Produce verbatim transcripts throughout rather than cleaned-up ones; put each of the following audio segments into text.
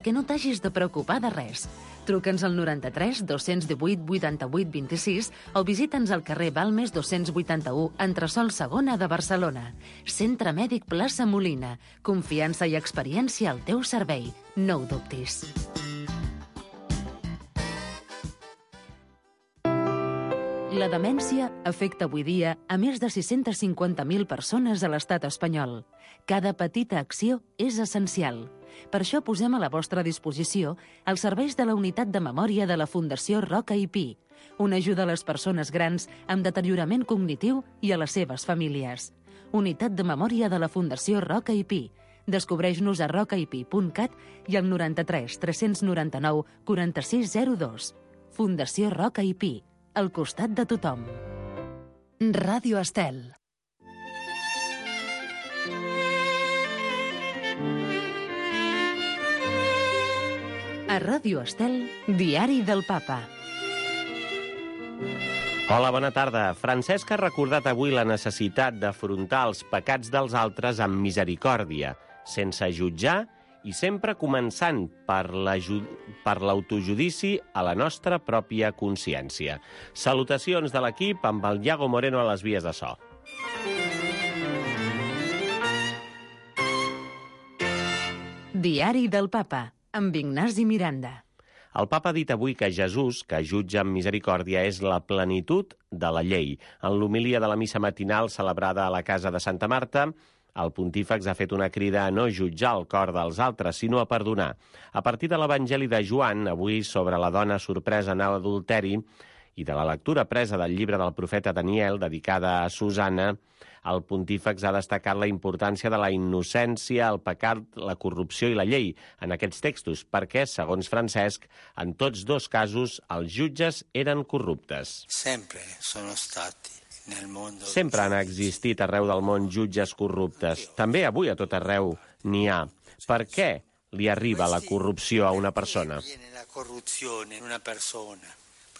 Que no t'hagis de preocupar de res. Truca'ns al noranta-tres dos-cents divuit vuitanta-vuit vint-i-sis o visita'ns al carrer Balmes dos-cents vuitanta-u, entresòl segona de Barcelona. Centre Mèdic Plaça Molina. Confiança i experiència al teu servei. No ho dubtis. La demència afecta avui dia a més de sis-cents cinquanta mil persones a l'estat espanyol. Cada petita acció és essencial. Per això posem a la vostra disposició els serveis de la Unitat de Memòria de la Fundació Roca i Pi, una ajuda a les persones grans amb deteriorament cognitiu i a les seves famílies. Unitat de Memòria de la Fundació Roca i Pi. Descobreix-nos a roca i pi punt cat i al noranta-tres tres noranta-nou quaranta-sis zero dos. Fundació Roca i Pi, al costat de tothom. Ràdio Estel. A Ràdio Estel, Diari del Papa. Hola, bona tarda. Francesc ha recordat avui la necessitat d'afrontar els pecats dels altres amb misericòrdia, sense jutjar i sempre començant per l'autojudici a la nostra pròpia consciència. Salutacions de l'equip amb el Iago Moreno a les vies de so. Diari del Papa, amb Ignasi Miranda. El papa ha dit avui que Jesús, que jutja amb misericòrdia, és la plenitud de la llei. En l'homilia de la missa matinal celebrada a la casa de Santa Marta, el pontífex ha fet una crida a no jutjar el cor dels altres, sinó a perdonar. A partir de l'Evangeli de Joan, avui sobre la dona sorpresa en adulteri, i de la lectura presa del llibre del profeta Daniel, dedicada a Susana, el pontífex ha destacat la importància de la innocència, el pecat, la corrupció i la llei en aquests textos, perquè, segons Francesc, en tots dos casos els jutges eren corruptes. Sempre sono stati nel mondo. Sempre han existit arreu del món jutges corruptes. També avui a tot arreu n'hi ha. Per què li arriba la corrupció a una persona? La corruzione in una persona.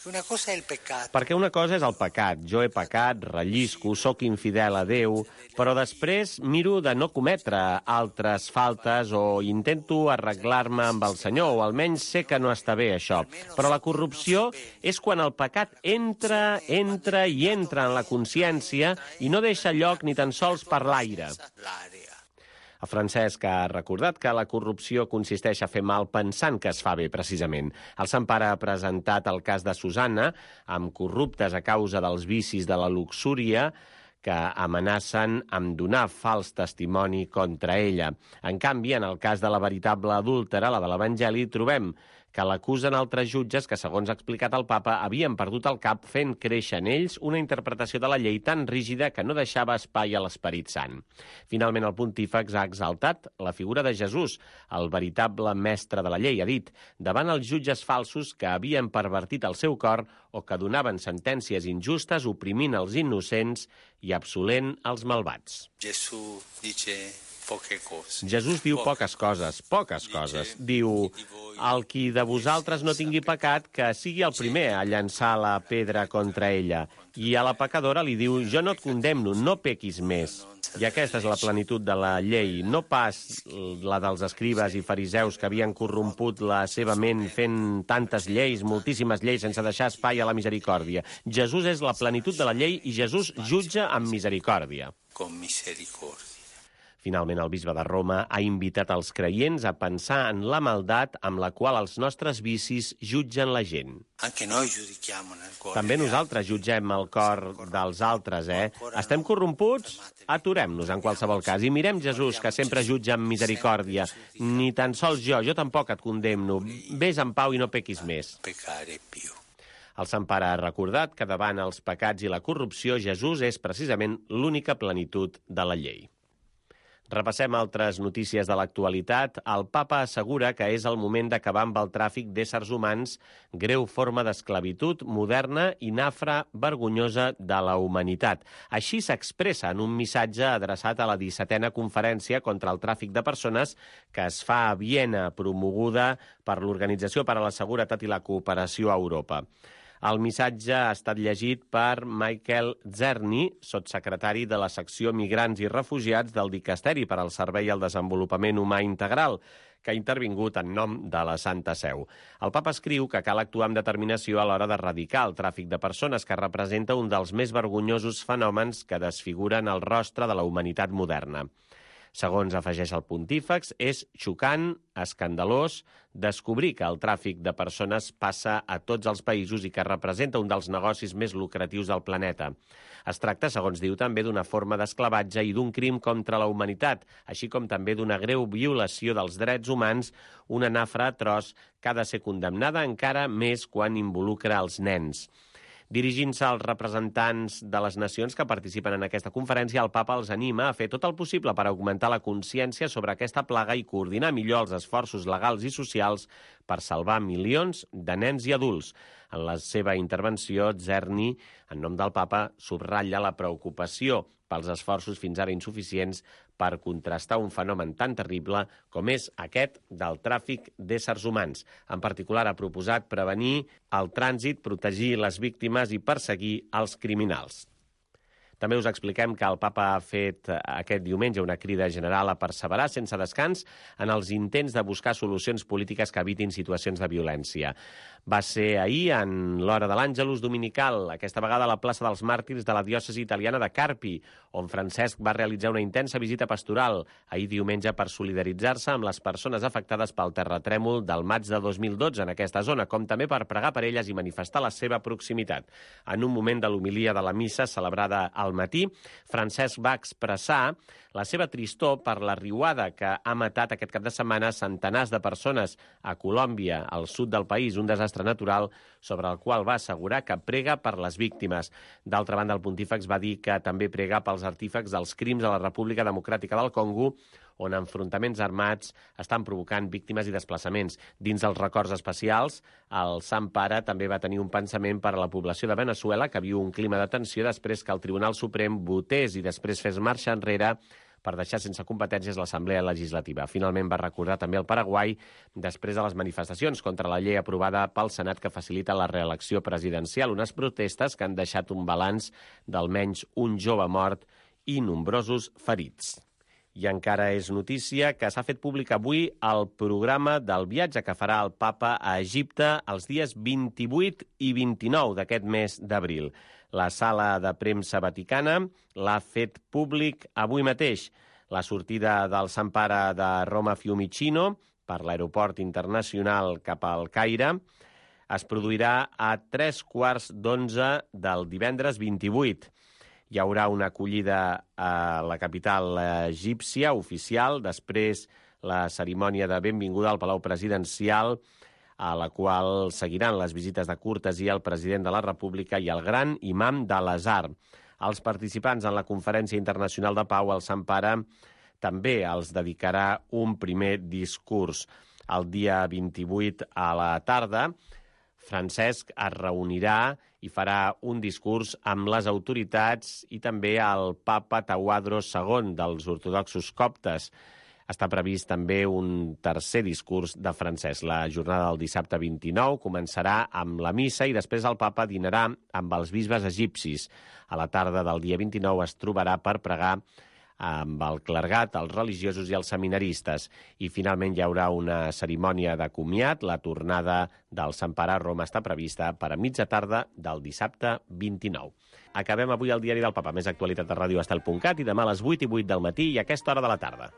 Una cosa è il peccato. Perquè una cosa és el pecat. Jo he pecat, rellisco, sóc infidel a Déu, però després miro de no cometre altres faltes o intento arreglar-me amb el Senyor, o almenys sé que no està bé això. Però la corrupció és quan el pecat entra, entra i entra en la consciència i no deixa lloc ni tan sols per l'aire. El Francesc ha recordat que la corrupció consisteix a fer mal pensant que es fa bé, precisament. El Sant Pare ha presentat el cas de Susana, amb corruptes a causa dels vicis de la luxúria, que amenacen amb donar fals testimoni contra ella. En canvi, en el cas de la veritable adúltera, la de l'Evangeli, trobem que l'acusen altres jutges que, segons ha explicat el papa, havien perdut el cap fent créixer en ells una interpretació de la llei tan rígida que no deixava espai a l'Esperit Sant. Finalment, el pontífex ha exaltat la figura de Jesús, el veritable mestre de la llei. Ha dit, davant els jutges falsos que havien pervertit el seu cor o que donaven sentències injustes, oprimint els innocents i absolent els malvats. Jesús dice poche cose. Jesús diu poques coses, poques coses. Diu, el qui de vosaltres no tingui pecat, que sigui el primer a llançar la pedra contra ella. I a la pecadora li diu, jo no et condemno, no pequis més. I aquesta és la plenitud de la llei, no pas la dels escribes i fariseus que havien corromput la seva ment fent tantes lleis, moltíssimes lleis, sense deixar espai a la misericòrdia. Jesús és la plenitud de la llei i Jesús jutja amb misericòrdia. Con misericòrdia. Finalment, el bisbe de Roma ha invitat els creients a pensar en la maldat amb la qual els nostres vicis jutgen la gent. També nosaltres jutgem el cor dels altres, eh? Estem corromputs? Aturem-nos en qualsevol cas i mirem Jesús, que sempre jutja amb misericòrdia. Ni tan sols jo, jo tampoc et condemno. Ves en pau i no pequis més. El Sant Pare ha recordat que davant els pecats i la corrupció Jesús és precisament l'única plenitud de la llei. Repassem altres notícies de l'actualitat. El papa assegura que és el moment d'acabar amb el tràfic d'éssers humans, greu forma d'esclavitud moderna i nafra vergonyosa de la humanitat. Així s'expressa en un missatge adreçat a la dissetena conferència contra el tràfic de persones que es fa a Viena, promoguda per l'Organització per a la Seguretat i la Cooperació a Europa. El missatge ha estat llegit per Michael Czerny, sotssecretari de la secció Migrants i Refugiats del Dicasteri per al Servei al Desenvolupament Humà Integral, que ha intervingut en nom de la Santa Seu. El papa escriu que cal actuar amb determinació a l'hora d'erradicar el tràfic de persones, que representa un dels més vergonyosos fenòmens que desfiguren el rostre de la humanitat moderna. Segons afegeix el pontífex, és xocant, escandalós, descobrir que el tràfic de persones passa a tots els països i que representa un dels negocis més lucratius del planeta. Es tracta, segons diu, també d'una forma d'esclavatge i d'un crim contra la humanitat, així com també d'una greu violació dels drets humans, una nafra atroç que ha de ser condemnada encara més quan involucra els nens. Dirigint-se als representants de les nacions que participen en aquesta conferència, el papa els anima a fer tot el possible per augmentar la consciència sobre aquesta plaga i coordinar millor els esforços legals i socials per salvar milions de nens i adults. En la seva intervenció, Czerny, en nom del papa, subratlla la preocupació pels esforços fins ara insuficients per contrastar un fenomen tan terrible com és aquest del tràfic d'éssers humans. En particular, ha proposat prevenir el trànsit, protegir les víctimes i perseguir els criminals. També us expliquem que el papa ha fet aquest diumenge una crida general a perseverar sense descans en els intents de buscar solucions polítiques que evitin situacions de violència. Va ser ahir, en l'hora de l'Àngelus dominical, aquesta vegada a la plaça dels Màrtirs de la diòcesi italiana de Carpi, on Francesc va realitzar una intensa visita pastoral ahir diumenge per solidaritzar-se amb les persones afectades pel terratrèmol del maig de dos mil dotze en aquesta zona, com també per pregar per elles i manifestar la seva proximitat. En un moment de l'homilia de la missa celebrada al matí, Francesc va expressar la seva tristor per la riuada que ha matat aquest cap de setmana centenars de persones a Colòmbia, al sud del país, un desastre natural sobre el qual va assegurar que prega per les víctimes. D'altra banda, el pontífex va dir que també prega pels artífecs dels crims a la República Democràtica del Congo, on enfrontaments armats estan provocant víctimes i desplaçaments. Dins dels records especials, el Sant Pare també va tenir un pensament per a la població de Veneçuela, que viu un clima de tensió després que el Tribunal Suprem votés i després fes marxa enrere per deixar sense competències l'Assemblea Legislativa. Finalment va recordar també el Paraguai després de les manifestacions contra la llei aprovada pel Senat que facilita la reelecció presidencial, unes protestes que han deixat un balanç d'almenys un jove mort i nombrosos ferits. I encara és notícia que s'ha fet públic avui el programa del viatge que farà el papa a Egipte els dies vint-i-vuit i vint-i-nou d'aquest mes d'abril. La sala de premsa vaticana l'ha fet públic avui mateix. La sortida del Sant Pare de Roma Fiumicino per l'aeroport internacional cap al Caire es produirà a tres quarts d'onze del divendres vint-i-vuit. Hi haurà una acollida a la capital egípcia oficial, després la cerimònia de benvinguda al Palau Presidencial, a la qual seguiran les visites de cortesia al president de la República i el gran imam de l'Azhar. Als participants en la Conferència Internacional de Pau, el Sant Pare també els dedicarà un primer discurs. El dia vint-i-vuit a la tarda, Francesc es reunirà i farà un discurs amb les autoritats i també el papa Tawadros segon dels ortodoxos coptes. Està previst també un tercer discurs de Francesc. La jornada del dissabte vint-i-nou començarà amb la missa i després el papa dinarà amb els bisbes egipcis. A la tarda del dia vint-i-nou es trobarà per pregar amb el clergat, els religiosos i els seminaristes. I finalment hi haurà una cerimònia de comiat. La tornada del Sant Pare a Roma està prevista per a mitja tarda del dissabte vint-i-nou. Acabem avui el diari del Papa. Més actualitat a ràdio estel punt cat i demà a les vuit i vuit del matí i a aquesta hora de la tarda.